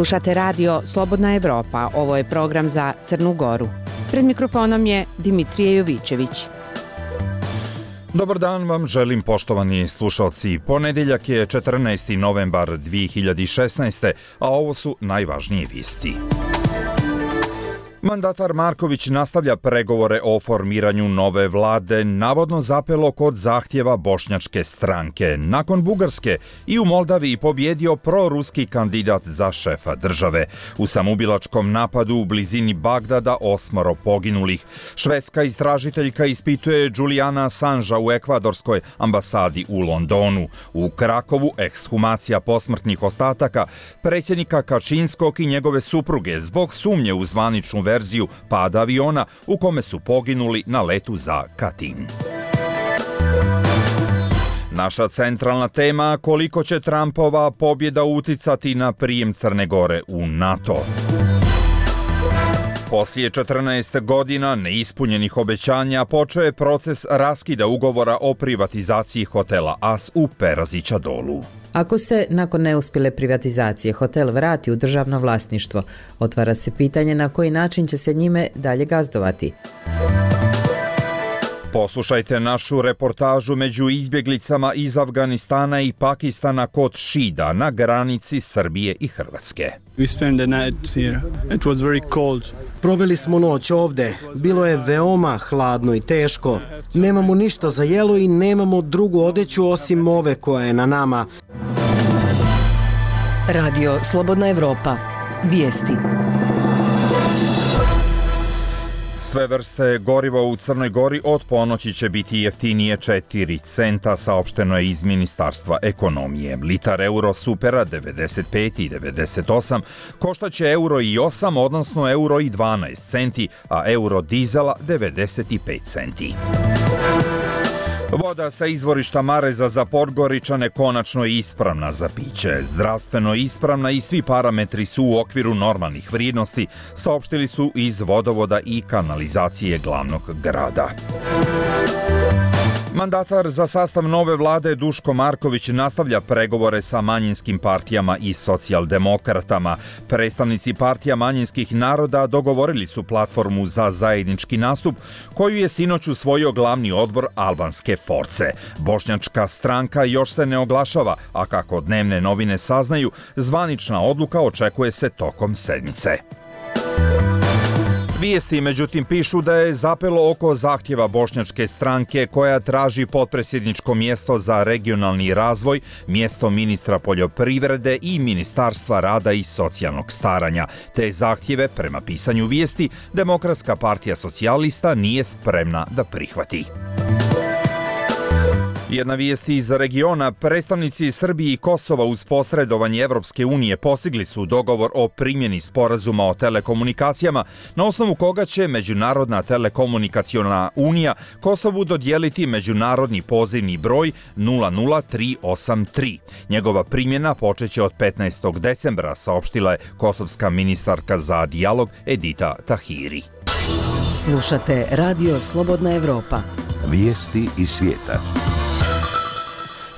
Slušate radio Slobodna Evropa, ovo je program za Crnu Goru. Pred mikrofonom je Dimitrije Jovićević. Dobar dan vam želim, poštovani slušalci. Ponedeljak je 14. novembar 2016. a ovo su najvažnije vijesti. Mandatar Marković nastavlja pregovore o formiranju nove vlade, navodno zapelo kod zahtjeva bošnjačke stranke. Nakon Bugarske i u Moldaviji pobjedio proruski kandidat za šefa države. U samoubilačkom napadu u blizini Bagdada 8 poginulih. Švedska istražiteljka ispituje Juliana Assangea u ekvadorskoj ambasadi u Londonu. U Krakovu ekshumacija posmrtnih ostataka predsjednika Kačinskog i njegove supruge zbog sumnje u zvaničnu verziju pada aviona u kome su poginuli na letu za Katin. Naša centralna tema: koliko će Trumpova pobjeda uticati na prijem Crne Gore u NATO. Poslije 14 godina neispunjenih obećanja počeo je proces raskida ugovora o privatizaciji hotela As u Perazića Dolu. Ako se nakon neuspjele privatizacije hotel vrati u državno vlasništvo, otvara se pitanje na koji način će se njime dalje gazdovati. Poslušajte našu reportažu među izbjeglicama iz Afganistana i Pakistana kod Šida na granici Srbije i Hrvatske. Proveli smo noć ovde. Bilo je veoma hladno i teško. Nemamo ništa za jelo i nemamo drugu odeću osim ove koja je na nama. Radio Slobodna Evropa. Vijesti. Sve vrste goriva u Crnoj Gori od ponoći će biti jeftinije 4 centa, saopšteno je iz Ministarstva ekonomije. Litar euro supera 95 i 98 koštaće euro i 8, odnosno euro i 12 centi, a euro dizela 95 centi. Voda sa izvorišta Mareza za Podgoričane konačno je ispravna za piće. Zdravstveno ispravna i svi parametri su u okviru normalnih vrijednosti, saopštili su iz vodovoda i kanalizacije glavnog grada. Mandatar za sastav nove vlade Duško Marković nastavlja pregovore sa manjinskim partijama i socijaldemokratama. Predstavnici partija manjinskih naroda dogovorili su platformu za zajednički nastup koju je sinoć usvojio glavni odbor albanske Force. Bošnjačka stranka još se ne oglašava, a kako dnevne novine saznaju, zvanična odluka očekuje se tokom sedmice. Vijesti međutim pišu da je zapelo oko zahtjeva bošnjačke stranke koja traži potpredsjedničko mjesto za regionalni razvoj, mjesto ministra poljoprivrede i Ministarstva rada i socijalnog staranja. Te zahtjeve, prema pisanju vijesti, Demokratska partija socijalista nije spremna da prihvati. Jedna vijest iz regiona: predstavnici Srbije i Kosova uz posredovanje Evropske unije postigli su dogovor o primjeni sporazuma o telekomunikacijama, na osnovu koga će Međunarodna telekomunikaciona unija Kosovu dodijeliti međunarodni pozivni broj 00383. Njegova primjena počeće od 15. decembra, saopštila je kosovska ministarka za dijalog Edita Tahiri. Slušate Radio Slobodna Evropa. Vijesti iz svijeta.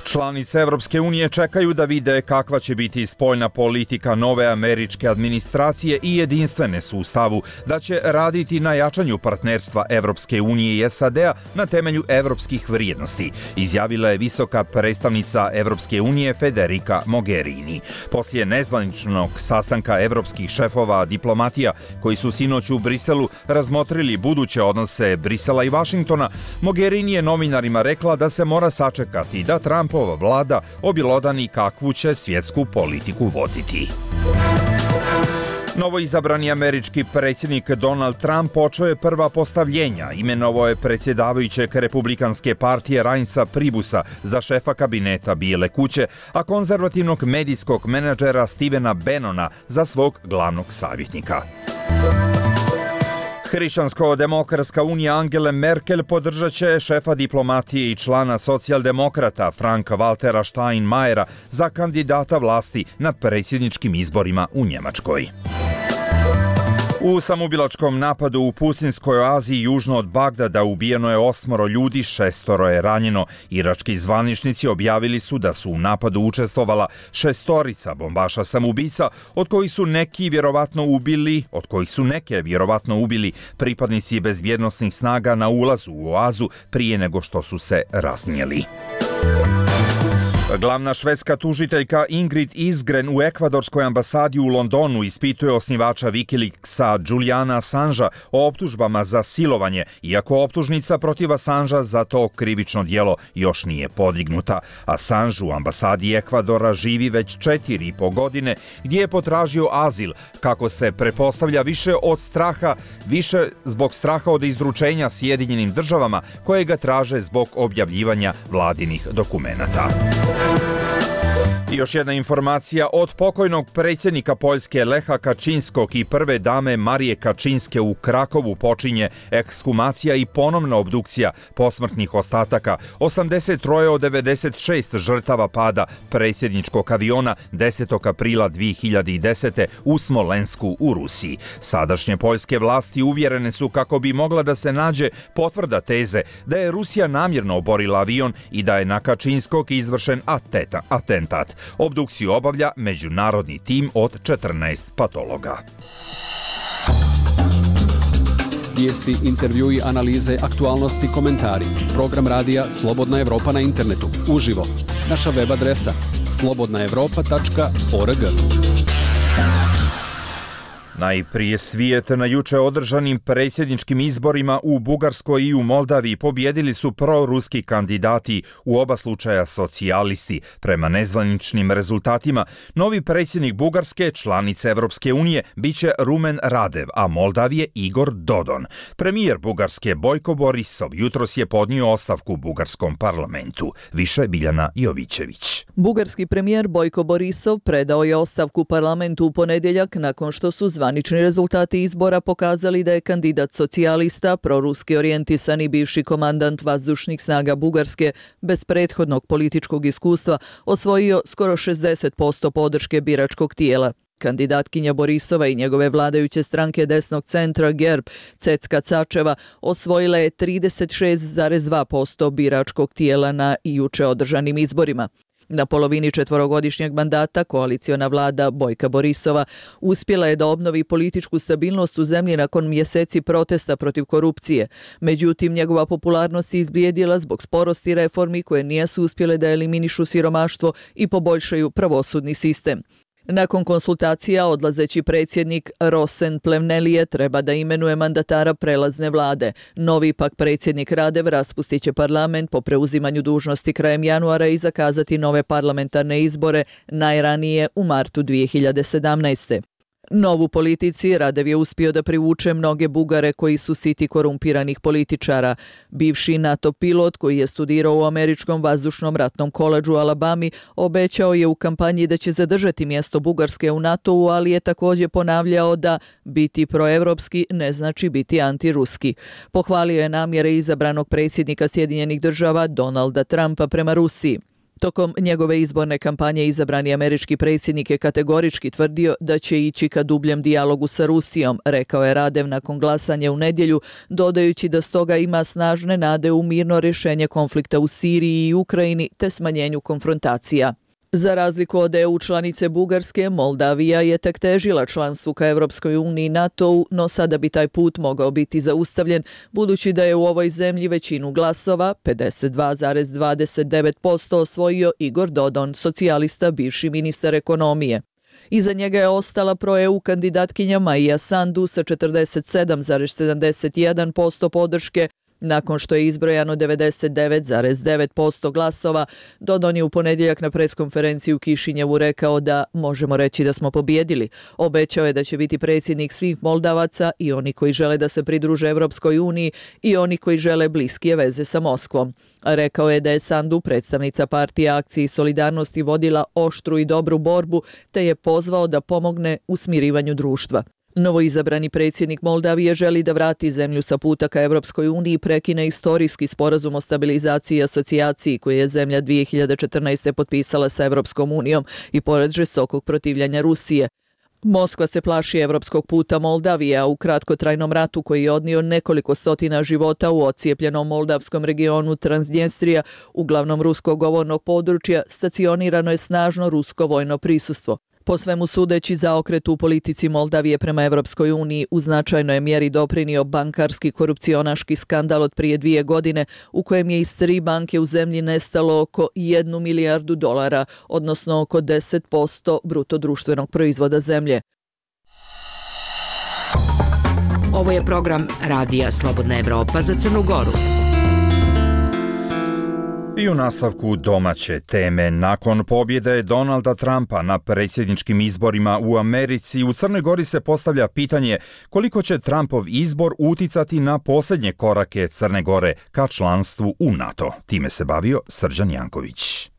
Članice Evropske unije čekaju da vide kakva će biti spoljna politika nove američke administracije i jedinstvene su u stavu da će raditi na jačanju partnerstva Evropske unije i SAD-a na temelju evropskih vrijednosti, izjavila je visoka predstavnica Evropske unije Federica Mogherini. Poslije nezvaničnog sastanka evropskih šefova diplomatija koji su sinoć u Briselu razmotrili buduće odnose Brisela i Vašingtona, Mogherini je novinarima rekla da se mora sačekati da Trumpova vlada objelodani kakvu će svjetsku politiku voditi. Novoizabrani američki predsjednik Donald Trump počeo je prva postavljenja. Imenovao je predsjedavajućeg Republikanske partije Reinsa Pribusa za šefa kabineta Bijele kuće, a konzervativnog medijskog menadžera Stevena Bannona za svog glavnog savjetnika. Hrišćansko-demokratska unija Angele Merkel podržat će šefa diplomatije i člana socijaldemokrata Franka Waltera Steinmeiera za kandidata vlasti na predsjedničkim izborima u Njemačkoj. U samoubilačkom napadu u pustinskoj oazi južno od Bagdada ubijeno je 8 ljudi, 6 je ranjeno. Irački zvaničnici objavili su da su u napadu učestvovala 6 bombaša samoubica, od kojih su neke vjerovatno ubili pripadnici bezbjednosnih snaga na ulazu u oazu prije nego što su se rasnijeli. Glavna švedska tužiteljka Ingrid Isgren u ekvadorskoj ambasadi u Londonu ispituje osnivača Wikileaksa Juliana Assangea o optužbama za silovanje, iako optužnica protiv Assangea za to krivično djelo još nije podignuta. Assange u ambasadi Ekvadora živi već 4,5 godine, gdje je potražio azil, kako se pretpostavlja više zbog straha od izručenja Sjedinjenim državama koje ga traže zbog objavljivanja vladinih dokumenata. I još jedna informacija od pokojnog predsjednika Poljske Lecha Kaczynskog i prve dame Marije Kaczynske u Krakovu počinje ekshumacija i ponovna obdukcija posmrtnih ostataka 83 od 96 žrtava pada predsjedničkog aviona 10. aprila 2010. u Smolensku u Rusiji. Sadašnje poljske vlasti uvjerene su kako bi mogla da se nađe potvrda teze da je Rusija namjerno oborila avion i da je na Kaczynskog izvršen atentat. Obdukciju obavlja međunarodni tim od 14 patologa. Vijesti, intervjui, analize, aktualnosti, komentari. Program radija Slobodna Evropa na internetu. Uživo. Naša web adresa slobodnaevropa.org. Najprije svijet. Na juče održanim predsjedničkim izborima u Bugarskoj i u Moldaviji pobjedili su proruski kandidati, u oba slučaja socijalisti. Prema nezvaničnim rezultatima, novi predsjednik Bugarske, članice Evropske unije, biće Rumen Radev, a Moldavije Igor Dodon. Premijer Bugarske Bojko Borisov jutros je podnio ostavku u bugarskom parlamentu. Više Biljana Jovićević. Bugarski premijer Bojko Borisov predao je ostavku parlamentu u ponedjeljak nakon što su zvanični rezultati izbora pokazali da je kandidat socijalista, proruski orijentisani bivši komandant vazdušnih snaga Bugarske bez prethodnog političkog iskustva osvojio skoro 60% podrške biračkog tijela. Kandidatkinja Borisova i njegove vladajuće stranke desnog centra GERB, Cecka Cačeva, osvojila je 36,2% biračkog tijela na juče održanim izborima. Na polovini 4-godišnjeg mandata koaliciona vlada Bojka Borisova uspjela je da obnovi političku stabilnost u zemlji nakon mjeseci protesta protiv korupcije. Međutim, njegova popularnost je izblijedila zbog sporosti reformi koje nisu uspjele da eliminišu siromaštvo i poboljšaju pravosudni sistem. Nakon konsultacija, odlazeći predsjednik Rosen Plevnelije treba da imenuje mandatara prelazne vlade. Novi pak predsjednik Radev raspustit će parlament po preuzimanju dužnosti krajem januara i zakazati nove parlamentarne izbore najranije u martu 2017. Novu politici Radev je uspio da privuče mnoge Bugare koji su siti korumpiranih političara. Bivši NATO pilot koji je studirao u Američkom vazdušnom ratnom koledžu u Alabami obećao je u kampanji da će zadržati mjesto Bugarske u NATO-u, ali je također ponavljao da biti proevropski ne znači biti antiruski. Pohvalio je namjere izabranog predsjednika Sjedinjenih država Donalda Trumpa prema Rusiji. Tokom njegove izborne kampanje izabrani američki predsjednik je kategorički tvrdio da će ići ka dubljem dijalogu sa Rusijom, rekao je Radev nakon glasanja u nedjelju, dodajući da stoga ima snažne nade u mirno rješenje konflikta u Siriji i Ukrajini te smanjenju konfrontacija. Za razliku od EU članice Bugarske, Moldavija je tek težila članstvu ka Evropskoj uniji i NATO-u, no sada bi taj put mogao biti zaustavljen, budući da je u ovoj zemlji većinu glasova, 52,29%, osvojio Igor Dodon, socijalista, bivši ministar ekonomije. Iza njega je ostala pro-EU kandidatkinja Maja Sandu sa 47,71% podrške. Nakon što je izbrojano 99,9% glasova, Dodon je u ponedjeljak na preskonferenciji u Kišinjevu rekao da možemo reći da smo pobjedili. Obećao je da će biti predsjednik svih Moldavaca, i oni koji žele da se pridruže Evropskoj uniji i oni koji žele bliskije veze sa Moskvom. Rekao je da je Sandu, predstavnica partije Akcije i solidarnosti, vodila oštru i dobru borbu te je pozvao da pomogne u smirivanju društva. Novoizabrani predsjednik Moldavije želi da vrati zemlju sa puta ka Evropskoj uniji i prekine istorijski sporazum o stabilizaciji i asocijaciji koji je zemlja 2014. potpisala sa Evropskom unijom i pored žestokog protivljanja Rusije. Moskva se plaši evropskog puta Moldavije, a u kratkotrajnom ratu koji je odnio nekoliko stotina života u ocijepljenom moldavskom regionu Transnjestrija, uglavnom ruskog govornog područja, stacionirano je snažno rusko vojno prisustvo. Po svemu sudeći, zaokret u politici Moldavije prema Evropskoj uniji u značajnoj mjeri doprinio bankarski korupcionaški skandal od prije 2 godine u kojem je iz 3 banke u zemlji nestalo oko 1 milijardu dolara, odnosno oko 10% bruto društvenog proizvoda zemlje. Ovo je program Radija Slobodna Evropa za Crnu Goru. I u nastavku domaće teme, nakon pobjede Donalda Trumpa na predsjedničkim izborima u Americi, u Crnoj Gori se postavlja pitanje koliko će Trumpov izbor uticati na posljednje korake Crne Gore ka članstvu u NATO. Time se bavio Srđan Janković.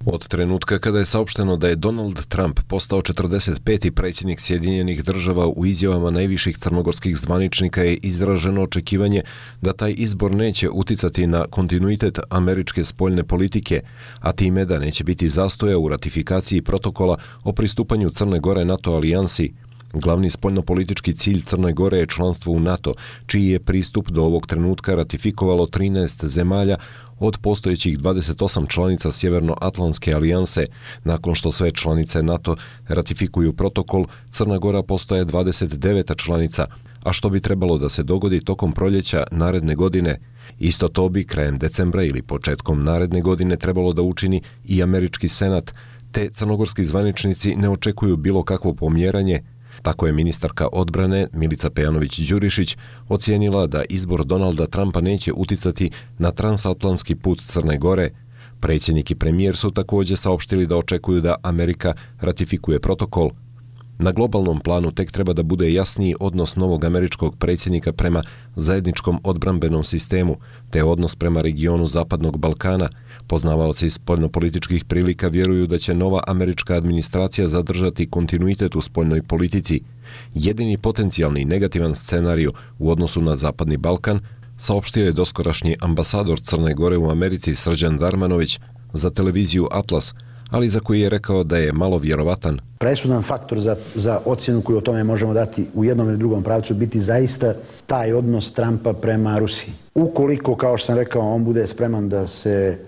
Od trenutka kada je saopšteno da je Donald Trump postao 45. predsjednik Sjedinjenih država, u izjavama najviših crnogorskih zvaničnika je izraženo očekivanje da taj izbor neće uticati na kontinuitet američke spoljne politike, a time da neće biti zastoja u ratifikaciji protokola o pristupanju Crne Gore NATO alijansi. Glavni spoljnopolitički cilj Crne Gore je članstvo u NATO, čiji je pristup do ovog trenutka ratifikovalo 13 zemalja od postojećih 28 članica Sjevernoatlantske alijanse. Nakon što sve članice NATO ratifikuju protokol, Crna Gora postaje 29. članica, a što bi trebalo da se dogodi tokom proljeća naredne godine. Isto to bi krajem decembra ili početkom naredne godine trebalo da učini i američki senat, te crnogorski zvaničnici ne očekuju bilo kakvo pomjeranje. Tako je ministarka odbrane Milica Pejanović-Đurišić ocijenila da izbor Donalda Trumpa neće uticati na transatlantski put Crne Gore. Predsjednik i premijer su također saopštili da očekuju da Amerika ratifikuje protokol. Na globalnom planu tek treba da bude jasniji odnos novog američkog predsjednika prema zajedničkom odbrambenom sistemu, te odnos prema regionu Zapadnog Balkana. Poznavaoci spoljnopolitičkih prilika vjeruju da će nova američka administracija zadržati kontinuitet u spoljnoj politici. Jedini potencijalni negativan scenarij u odnosu na Zapadni Balkan saopštio je doskorašnji ambasador Crne Gore u Americi Srđan Darmanović za televiziju Atlas, ali za koji je rekao da je malo vjerovatan. Presudan faktor za ocjenu koju o tome možemo dati u jednom ili drugom pravcu biti zaista taj odnos Trumpa prema Rusiji. Ukoliko, kao što sam rekao, on bude spreman da se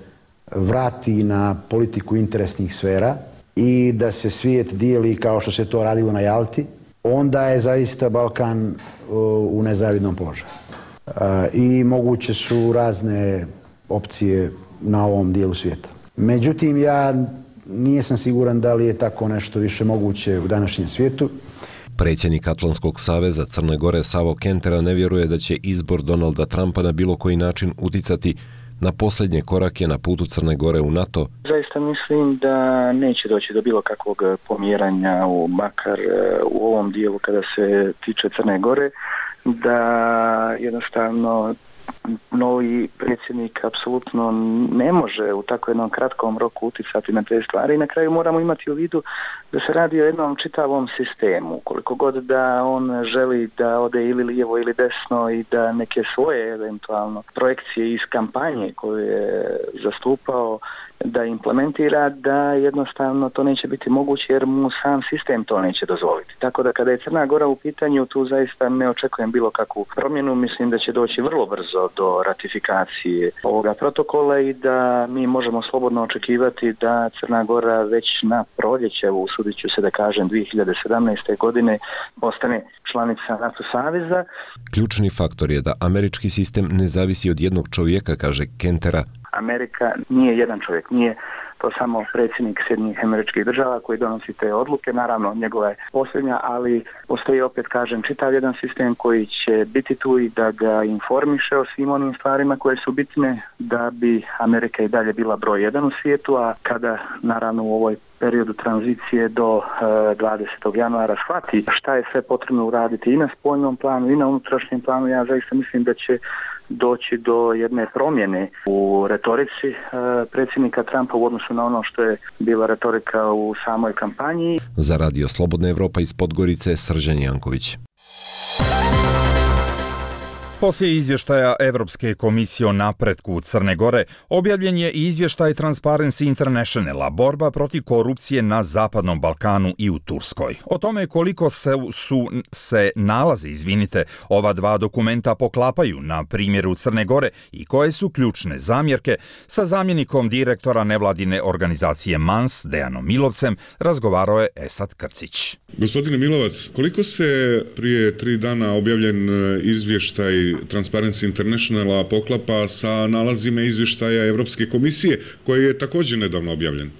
vrati na politiku interesnih sfera i da se svijet dijeli kao što se to radilo na Jalti, onda je zaista Balkan u nezavidnom položaju. I moguće su razne opcije na ovom dijelu svijeta. Međutim, ja nisam siguran da li je tako nešto više moguće u današnjem svijetu. Predsjednik Atlantskog saveza Crne Gore Savo Kentera ne vjeruje da će izbor Donalda Trumpa na bilo koji način uticati na posljednje korake na putu Crne Gore u NATO. Zaista mislim da neće doći do bilo kakvog pomjeranja, makar u ovom dijelu kada se tiče Crne Gore, da jednostavno novi predsjednik apsolutno ne može u tako jednom kratkom roku uticati na te stvari i na kraju moramo imati u vidu da se radi o jednom čitavom sistemu. Koliko god da on želi da ode ili lijevo ili desno i da neke svoje eventualno projekcije iz kampanje koje je zastupao da implementira, da jednostavno to neće biti moguće jer mu sam sistem to neće dozvoliti. Tako da kada je Crna Gora u pitanju, tu zaista ne očekujem bilo kakvu promjenu. Mislim da će doći vrlo brzo do ratifikacije ovoga protokola i da mi možemo slobodno očekivati da Crna Gora već na proljeće, usudit ću se da kažem 2017. godine, postane članica NATO saveza. Ključni faktor je da američki sistem ne zavisi od jednog čovjeka, kaže Kentera. Amerika nije jedan čovjek, nije to samo predsjednik Sjedinjenih Američkih Država koji donosi te odluke, naravno njegova je posljednja, ali postoji opet, kažem, čitav jedan sistem koji će biti tu i da ga informiše o svim onim stvarima koje su bitne da bi Amerika i dalje bila broj 1 u svijetu, a kada naravno u ovoj periodu tranzicije do 20. januara shvati šta je sve potrebno uraditi i na spoljnom planu i na unutrašnjem planu, ja zaista mislim da će doći do jedne promjene u retorici predsjednika Trumpa u odnosu na ono što je bila retorika u samoj kampanji. Za Radio Slobodna Evropa iz Podgorice, Srđan Janković. Poslije izvještaja Evropske komisije o napretku Crne Gore, objavljen je i izvještaj Transparency Internationala, borba protiv korupcije na Zapadnom Balkanu i u Turskoj. O tome koliko se nalazi, ova dva dokumenta poklapaju na primjeru Crne Gore i koje su ključne zamjerke, sa zamjenikom direktora nevladine organizacije MANS, Dejanom Milovcem, razgovarao je Esad Krcić. Gospodine Milovac, koliko se prije 3 dana objavljen izvještaj Transparency Internationala poklapa sa nalazima izvještaja Evropske komisije, koji je također nedavno objavljen?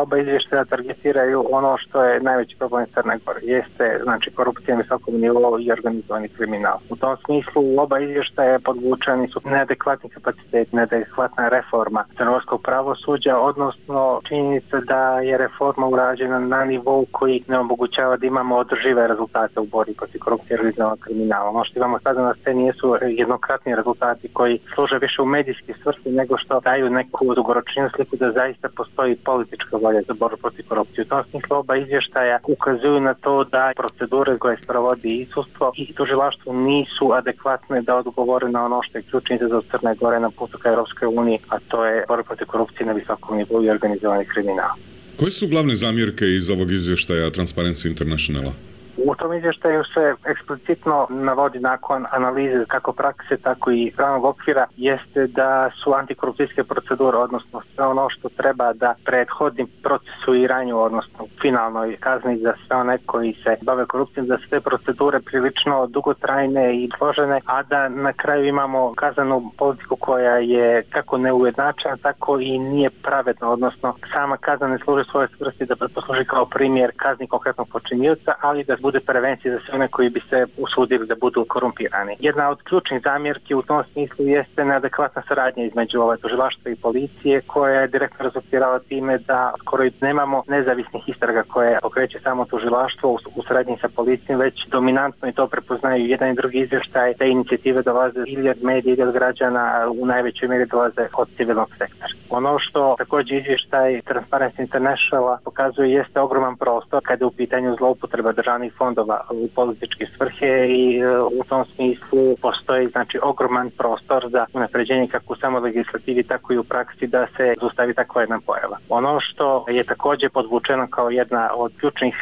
Oba izvještaja targetiraju ono što je najveći problem Crne Gore, jeste znači korupcija na visokom nivou i organizovani kriminal. U tom smislu oba izvještaja podvučeni su neadekvatni kapacitet, neadekvatna reforma crnogorskog pravosuđa, odnosno činjenica da je reforma urađena na nivou koji ne omogućava da imamo održive rezultate u borbi protiv korupcije i organizovanog kriminala. Ono što imamo sada na sceni jesu jednokratni rezultati koji služe više u medijski svrsi nego što daju neku dugoročniju sliku da zaista postoji politička volja za borbu protiv korupcije. U tom smislu oba izvještaja ukazuju na to da procedure koje sprovodi i sudstvo i tužilaštvo nisu adekvatne da odgovore na ono što je ključni izazov Crne Gore na putu ka Europskoj uniji, a to je borba protiv korupcije na visokom nivou i organizovani kriminal. Koje su glavne zamjerke iz ovog izvještaja Transparency Internationala? U tom izvještaju se eksplicitno navodi nakon analize kako prakse, tako i pravnog okvira, jeste da su antikorupcijske procedure, odnosno sve ono što treba da prethodi procesuiranju, odnosno finalnoj kazni za sve one koji se bave korupcijom, da su te procedure prilično dugotrajne i složene, a da na kraju imamo kaznenu politiku koja je kako neujednačena, tako i nije pravedna, odnosno sama kazna ne služi svoje svrsi da posluži kao primjer kazni konkretnog počinioca, ali da bude prevencija za sve one koji bi se usudili da budu korumpirani. Jedna od ključnih zamjerki u tom smislu jeste neadekvatna saradnja između tužilaštva i policije, koja je direktno rezultirala time da skoro nemamo nezavisnih istraga koje pokreće samo tužilaštvo u saradnji sa policijom, već dominantno i to prepoznaju jedan i drugi izvještaj. Te inicijative dolaze ili od medija ili od građana, u najvećoj mjeri dolaze od civilnog sektora. Ono što također izvještaj Transparency International pokazuje jeste ogroman prostor kada je u pitanju zloupotreba državnih fondova u političke svrhe i u tom smislu postoji znači ogroman prostor za unapređenje kako u samoj legislativi, tako i u praksi da se zaustavi takva jedna pojava. Ono što je također podvučeno kao jedna od ključnih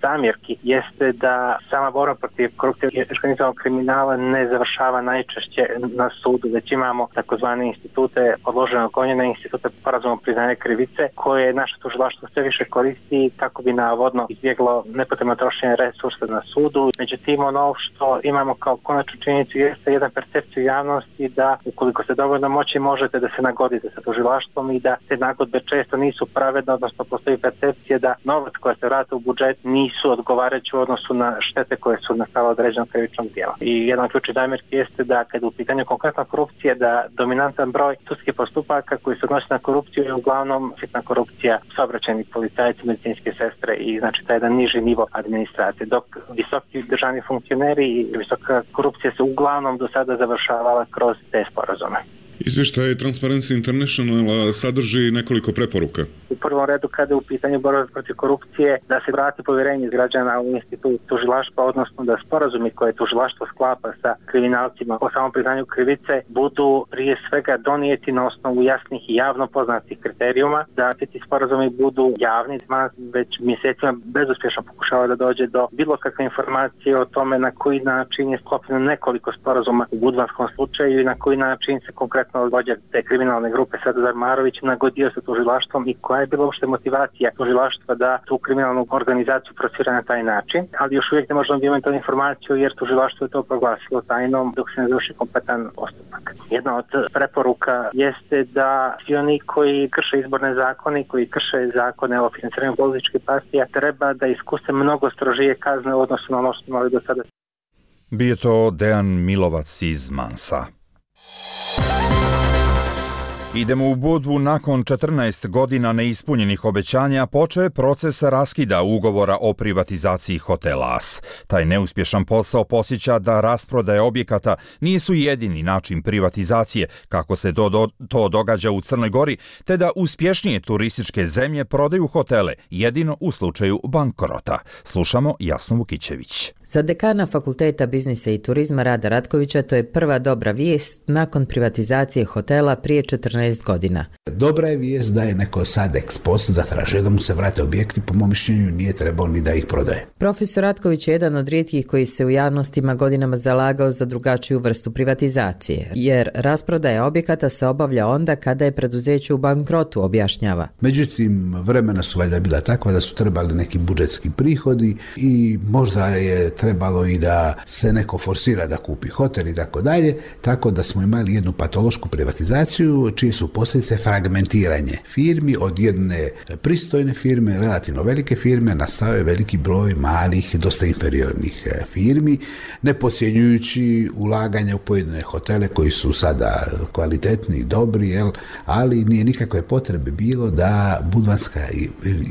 zamjerki jeste da sama borba protiv korupcije i organizovanog kriminala ne završava najčešće na sudu, već imamo takozvane institute odloženog gonjenja, institute sporazumnog priznanja krivice, koje naše tužilaštvo sve više koristi kako bi navodno izbjeglo nepotrebno trošenje resursa na sudu. Međutim, ono što imamo kao konačnu činjenicu jeste jedna percepcija javnosti da ukoliko se dovoljno moći možete da se nagodite sa tužilaštvom i da te nagodbe često nisu pravedne, odnosno postoji percepcija da novac koja se vrati u budžet nisu odgovarajući u odnosu na štete koje su nastale određenog krivičnog djela. I jedan ključni zamjerki jeste da kada u pitanju konkretna korupcije da dominantan broj sudskih postupaka koji se odnosi na korupciju je uglavnom sitna korupcija, saobraćajni policajci, medicinske sestre i znači taj jedan niži nivo administracije, dok visoki državni funkcioneri i visoka korupcija se uglavnom do sada završavala kroz te sporazume. Izvještaj Transparency International sadrži nekoliko preporuka. U prvom redu kada je u pitanju borbe protiv korupcije da se vrati povjerenje građana u institut tužilaštva, odnosno da sporazumi koje tužilaštvo sklapa sa kriminalcima o samom priznanju krivice budu prije svega donijeti na osnovu jasnih i javno poznatih kriterijuma, da ti sporazumi budu javni. Već mjesecima bezuspješno pokušava da dođe do bilo kakve informacije o tome na koji način je sklopljeno nekoliko sporazuma u budvanskom slučaju i na koji način se konkretno vođa te kriminalne grupe Sadazar Marović nagodio sa tužilaštvom i koja je bila uopšte motivacija tužilaštva da tu kriminalnu organizaciju procira na taj način, ali još uvijek ne možemo imati tu informaciju jer tužilaštvo je to proglasilo tajnom dok se ne završi kompletan postupak. Jedna od preporuka jeste da svi oni koji krše izborne zakone, koji krše zakone o financiranju političkih partija, treba da iskuse mnogo strožije kazne u odnosu na ono što imali do sada. Bio to Dejan Milovac iz Mansa. Idemo u Budvu. Nakon 14 godina neispunjenih obećanja počeo je proces raskida ugovora o privatizaciji hotela As. Taj neuspješan posao podsjeća da rasprodaje objekata nisu jedini način privatizacije, kako se to događa u Crnoj Gori, te da uspješnije turističke zemlje prodaju hotele jedino u slučaju bankrota. Slušamo Jasnu Vukićević. Za dekana Fakulteta biznisa i turizma Rada Ratkovića to je prva dobra vijest nakon privatizacije hotela prije 14 godina. Dobra je vijest da je neko sad ex post zatražio da mu se vrate objekti, po mom mišljenju nije trebao ni da ih prodaje. Profesor Ratković je jedan od rijetkih koji se u javnostima godinama zalagao za drugačiju vrstu privatizacije, jer rasprodaja objekata se obavlja onda kada je preduzeće u bankrotu, objašnjava. Međutim, vremena su valjda bila takva da su trebali neki budžetski prihodi i možda je trebalo i da se neko forsira da kupi hotel i tako dalje, tako da smo imali jednu patološku privatizaciju čije su posljedice fragmentiranje firmi. Od jedne pristojne firme, relativno velike firme, nastao je veliki broj malih, dosta inferiornih firmi, ne podcjenjujući ulaganje u pojedine hotele koji su sada kvalitetni, dobri, ali nije nikakve potrebe bilo da Budvanska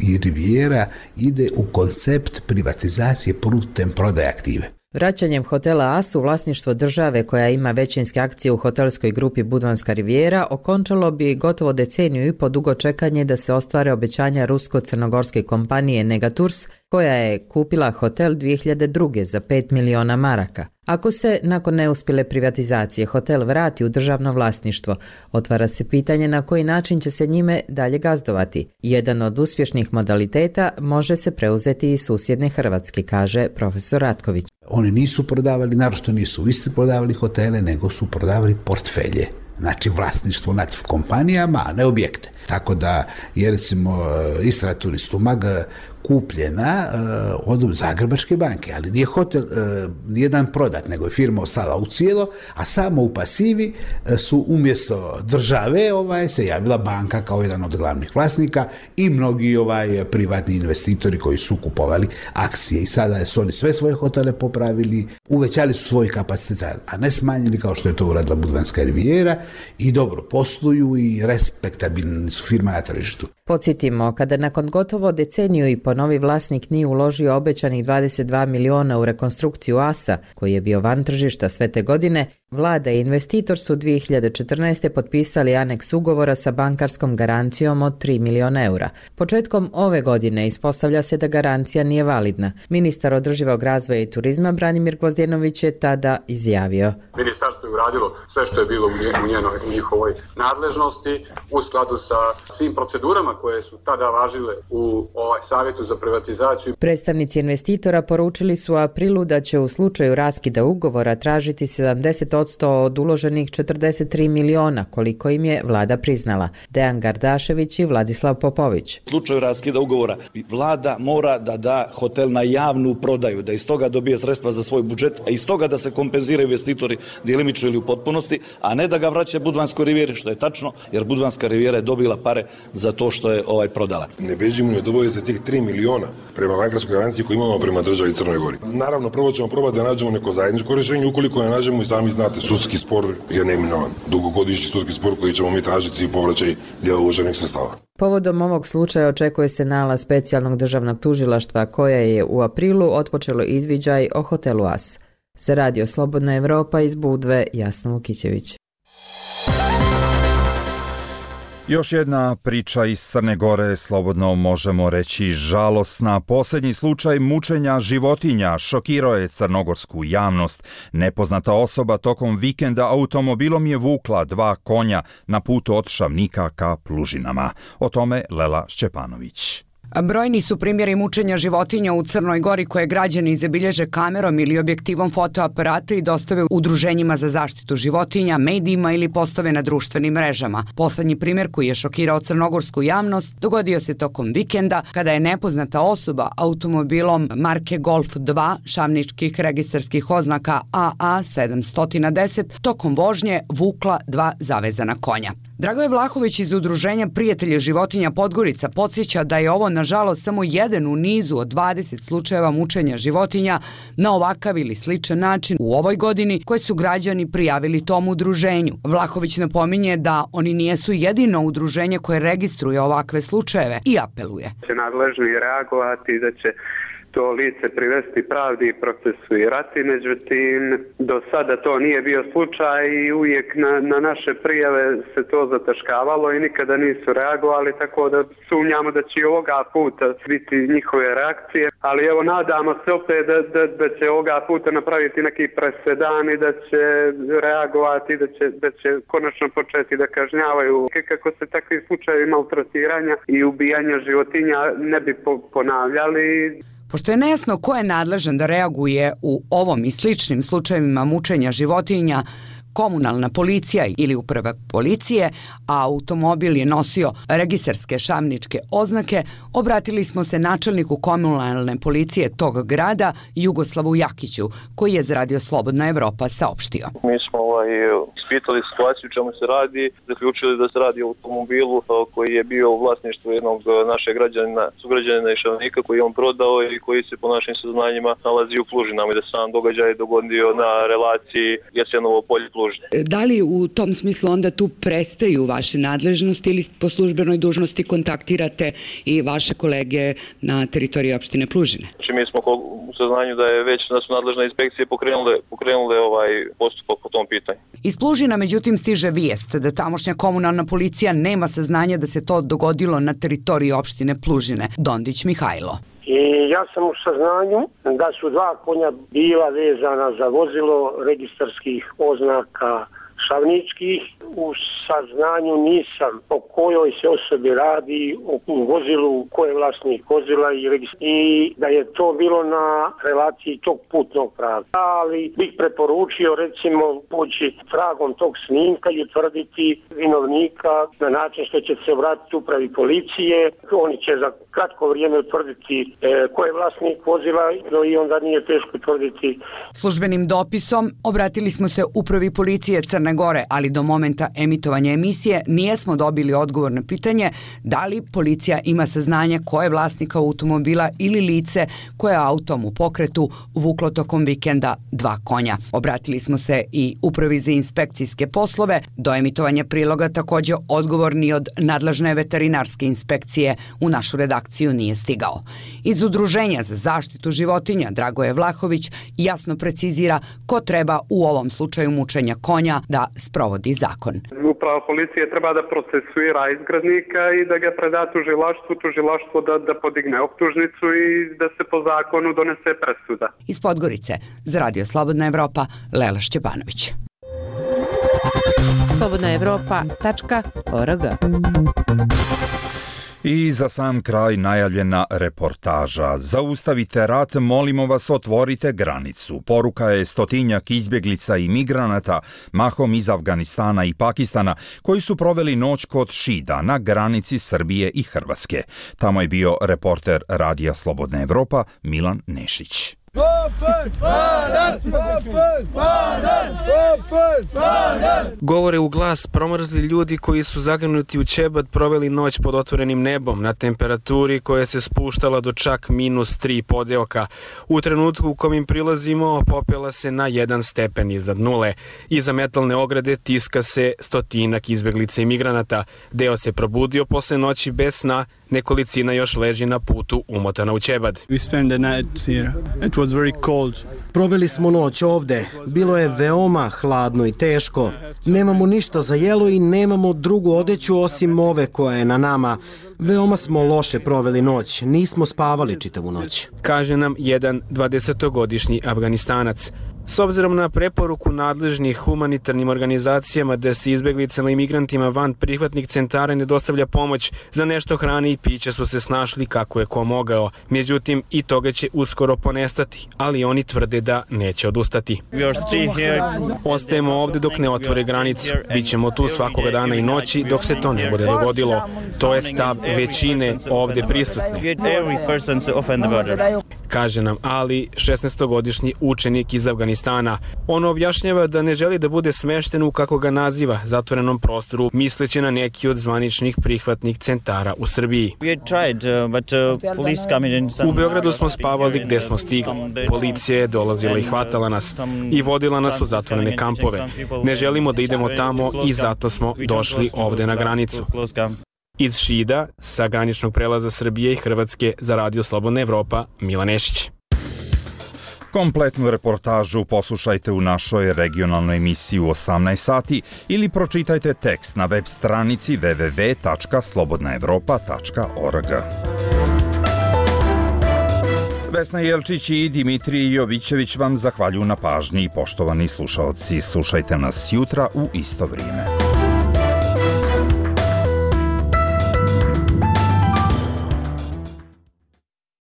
i Riviera ide u koncept privatizacije putem prodaje aktive. Vraćanjem hotela As u vlasništvo države koja ima većinske akcije u hotelskoj grupi Budvanska Riviera okončalo bi gotovo deceniju i po dugo čekanje da se ostvare obećanja rusko-crnogorske kompanije Negatours koja je kupila hotel 2002. za 5 miliona maraka. Ako se nakon neuspjele privatizacije hotel vrati u državno vlasništvo, otvara se pitanje na koji način će se njime dalje gazdovati. Jedan od uspješnih modaliteta može se preuzeti iz susjedne Hrvatske, kaže profesor Ratković. Oni nisu prodavali, naročito nisu isti prodavali hotele, nego su prodavali portfelje. Znači vlasništvo nad kompanijama, a ne objekte. Tako da je recimo Istra Turist Umag kupljena od Zagrebačke banke, ali nije hotel nijedan prodat, nego je firma ostala u cijelo, a samo u pasivi su umjesto države se javila banka kao jedan od glavnih vlasnika i mnogi privatni investitori koji su kupovali akcije i sada su oni sve svoje hotele popravili, uvećali su svoj kapacitet, a ne smanjili kao što je to uradila Budvanska Riviera i dobro posluju i respektabilni su firma na tržištu. Podsjetimo, kada nakon gotovo deceniju i po novi vlasnik nije uložio obećanih 22 miliona u rekonstrukciju Asa, koji je bio van tržišta sve te godine, vlada i investitor su 2014. potpisali aneks ugovora sa bankarskom garancijom od 3 miliona eura. Početkom ove godine ispostavlja se da garancija nije validna. Ministar održivog razvoja i turizma Branimir Gvozdjenović je tada izjavio. Ministarstvo je uradilo sve što je bilo u njihovoj nadležnosti u skladu sa svim procedurama koje su tada važile u savjetu za privatizaciju. Predstavnici investitora poručili su u aprilu da će u slučaju raskida ugovora tražiti 70% od uloženih 43 miliona, koliko im je vlada priznala. Dejan Gardašević i Vladislav Popović. U slučaju raskida ugovora vlada mora da da hotel na javnu prodaju, da iz toga dobije sredstva za svoj budžet, a iz toga da se kompenziraju investitori djelimično ili u potpunosti, a ne da ga vraća Budvanskoj Rivijeri, što je tačno, jer Budvanska Rivijera je dobila pare za to što je prodala. Ne bežimo od obaveze tih 3 miliona prema bankarskoj garanciji koju imamo prema državi Crnoj Gori. Naravno, prvo ćemo probati da nađemo neko zajedničko rješenje, ukoliko ne nađemo i sami znate, sudski spor je neminovan. Dugogodišnji sudski spor koji ćemo mi tražiti povraćaj dijela uloženih sredstava. Povodom ovog slučaja očekuje se nalaz specijalnog državnog tužilaštva koje je u aprilu otpočelo izviđaj o hotelu As. Za Radio Slobodna Evropa iz Budve, Jasna Vukićević. Još jedna priča iz Crne Gore, slobodno možemo reći žalosna. Posljednji slučaj mučenja životinja šokirao je crnogorsku javnost. Nepoznata osoba tokom vikenda automobilom je vukla 2 konja na putu od Šavnika ka Plužinama. O tome Lela Šćepanović. Brojni su primjeri mučenja životinja u Crnoj Gori koje građani zabilježe kamerom ili objektivom fotoaparata i dostave udruženjima za zaštitu životinja, medijima ili postave na društvenim mrežama. Poslednji primjer koji je šokirao crnogorsku javnost dogodio se tokom vikenda kada je nepoznata osoba automobilom marke Golf 2 šavničkih registarskih oznaka AA 710 tokom vožnje vukla 2 zavezana konja. Dragoje Vlahović iz udruženja Prijatelje životinja Podgorica podsjeća da je ovo nažalost samo jedan u nizu od 20 slučajeva mučenja životinja na ovakav ili sličan način u ovoj godini koje su građani prijavili tom udruženju. Vlahović napominje da oni nijesu jedino udruženje koje registruje ovakve slučajeve i apeluje. Će nadležni reagovati da će to lice privesti pravdi i procesuirati. Međutim, do sada to nije bio slučaj i uvijek na naše prijave se to zataškavalo i nikada nisu reagovali, tako da sumnjamo da će i ovoga puta biti njihove reakcije. Ali evo, nadamo se opet da će ovoga puta napraviti neki presedan i da će reagovati, da će konačno početi da kažnjavaju kako se takvi slučajevi maltretiranja i ubijanja životinja ne bi ponavljali. Pošto je nejasno ko je nadležan da reaguje u ovom i sličnim slučajevima mučenja životinja, komunalna policija ili uprava policije, a automobil je nosio registarske šamničke oznake, obratili smo se načelniku komunalne policije tog grada, Jugoslavu Jakiću, koji je za Radio Slobodna Evropa saopštio. Mi smo ispitali situaciju u čemu se radi, zaključili da se radi o automobilu koji je bio u vlasništvu jednog našeg sugrađanina i šavnika koji je on prodao i koji se po našim saznanjima nalazi u Plužinama i da sam događaj dogodio na relaciji Jasenovo polje Plužina. Da li u tom smislu onda tu prestaju vaše nadležnosti ili po službenoj dužnosti kontaktirate i vaše kolege na teritoriji opštine Plužine? Znači mi smo u saznanju da su nadležne inspekcije pokrenule postupak po tom pitanju. Iz Plužina međutim stiže vijest da tamošnja komunalna policija nema saznanja da se to dogodilo na teritoriji opštine Plužine. Dondić Mihajlo. I ja sam u saznanju da su 2 konja bila vezana za vozilo registarskih oznaka šavničkih. U saznanju nisam o kojoj se osobi radi, o vozilu, ko je vlasnik vozila i da je to bilo na relaciji tog putnog prava. Ali bih preporučio recimo poći tragom tog snimka i utvrditi vinovnika na način što će se obratiti upravi policije. Oni će za kratko vrijeme utvrditi ko je vlasnik vozila i onda nije teško utvrditi. Službenim dopisom obratili smo se upravi policije Crne Gore, ali do momenta emitovanja emisije nijesmo dobili odgovor na pitanje da li policija ima saznanje ko je vlasnik automobila ili lice koje autom u pokretu vuklo tokom vikenda 2 konja. Obratili smo se i upravi za inspekcijske poslove. Do emitovanja priloga također odgovor ni od nadležne veterinarske inspekcije u našu redakciju nije stigao. Iz Udruženja za zaštitu životinja Dragoje Vlahović jasno precizira ko treba u ovom slučaju mučenja konja da sprovodi zakon. Uprava policije treba da procesuira izgradnika i da ga preda tužilaštvu da podigne optužnicu i da se po zakonu donese presuda. Iz Podgorice za Radio Slobodna Evropa, Lela Šćepanović. slobodnaevropa.org. I za sam kraj najavljena reportaža. Zaustavite rat, molimo vas, otvorite granicu. Poruka je stotinjak izbjeglica i migranata, mahom iz Afganistana i Pakistana, koji su proveli noć kod Šida na granici Srbije i Hrvatske. Tamo je bio reporter Radija Slobodna Evropa Milan Nešić. Govore u glas promrzli ljudi koji su zagnuti u ćebad proveli noć pod otvorenim nebom na temperaturi koja se spuštala do čak -3 podeoka. U trenutku u kom im prilazimo popela se na 1 stepen iznad nule. Iza metalne ograde tiska se stotinak izbjeglica i migranata. Deo se probudio posle noći bez sna, nekolicina još leži na putu umotana u ćebad. Proveli smo noć ovde. Bilo je veoma hladno i teško. Nemamo ništa za jelo i nemamo drugu odeću osim ove koja je na nama. Veoma smo loše proveli noć. Nismo spavali čitavu noć. Kaže nam jedan 20-godišnji Afganistanac. S obzirom na preporuku nadležnih humanitarnim organizacijama da se izbjeglicama i migrantima van prihvatnih centara ne dostavlja pomoć, za nešto hrane i pića su se snašli kako je ko mogao. Međutim, i toga će uskoro ponestati, ali oni tvrde da neće odustati. Ostajemo ovde dok ne otvore granicu. Bićemo tu svakoga dana i noći dok se to ne bude dogodilo. To je stav većine ovde prisutne. Kaže nam Ali, 16-godišnji učenik iz Afganistana. On objašnjava da ne želi da bude smešten u, kako ga naziva, zatvorenom prostoru, misleći na neki od zvaničnih prihvatnih centara u Srbiji. U Beogradu smo spavali gde smo stigli. Policija je dolazila i hvatala nas i vodila nas u zatvorene kampove. Ne želimo da idemo tamo i zato smo došli ovde na granicu. Iz Šida, sa graničnog prelaza Srbije i Hrvatske za Radio Slobodna Evropa, Milan Nešić. Kompletnu reportažu poslušajte u našoj regionalnoj emisiji u 18 sati ili pročitajte tekst na web stranici www.slobodnaevropa.org. Vesna Jelčić i Dimitrij Jovićević vam zahvaljuju na pažnji. Poštovani slušaoci, slušajte nas jutra u isto vrijeme.